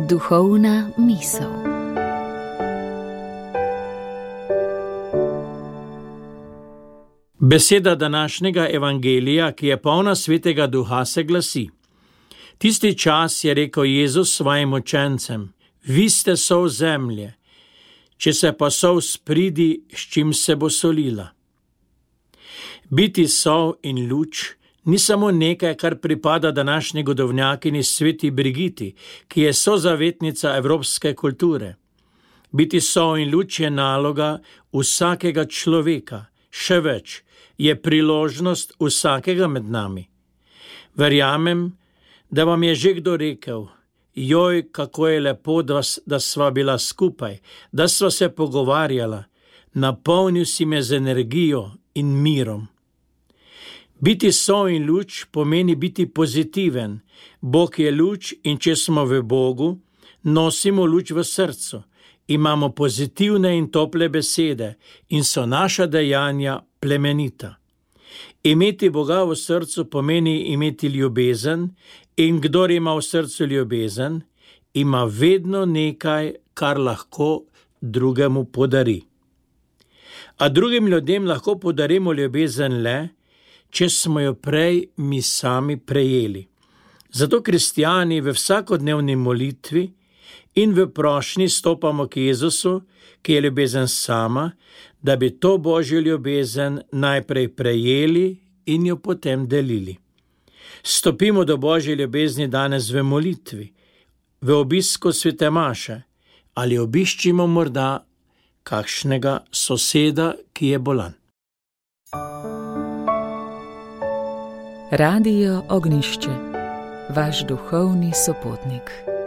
Duhovna misel. Beseda današnjega evangelija, ki je polna Svetega Duha, se glasi: Tisti čas je rekel Jezus svojim učencem: Vi ste sol zemlje, če se pa sol spridi, s čim se bo solila. Biti sol in luč ni samo nekaj, kar pripada današnji godovnjakinji Sveti Brigiti, ki je sozavetnica evropske kulture. Biti sol in luč je naloga vsakega človeka, še več, je priložnost vsakega med nami. Verjamem, da vam je že kdo rekel: Joj, kako je lepo, da sva bila skupaj, da sva se pogovarjala, napolnil si me z energijo in mirom. Biti sol in luč pomeni biti pozitiven. Bog je luč in če smo v Bogu, nosimo luč v srcu, imamo pozitivne in tople besede in so naša dejanja plemenita. Imeti Boga v srcu pomeni imeti ljubezen, in kdor ima v srcu ljubezen, ima vedno nekaj, kar lahko drugemu podari. A drugim ljudem lahko podarimo ljubezen le, če smo jo prej mi sami prejeli. Zato kristjani v vsakodnevni molitvi in v prošnji stopamo k Jezusu, ki je ljubezen sama, da bi to Božjo ljubezen najprej prejeli in jo potem delili. Stopimo do Božje ljubezni danes v molitvi, v obisku svete maše, ali obiščimo morda kakšnega soseda, ki je bolan. Radio Ognjišče, vaš duhovni sopotnik.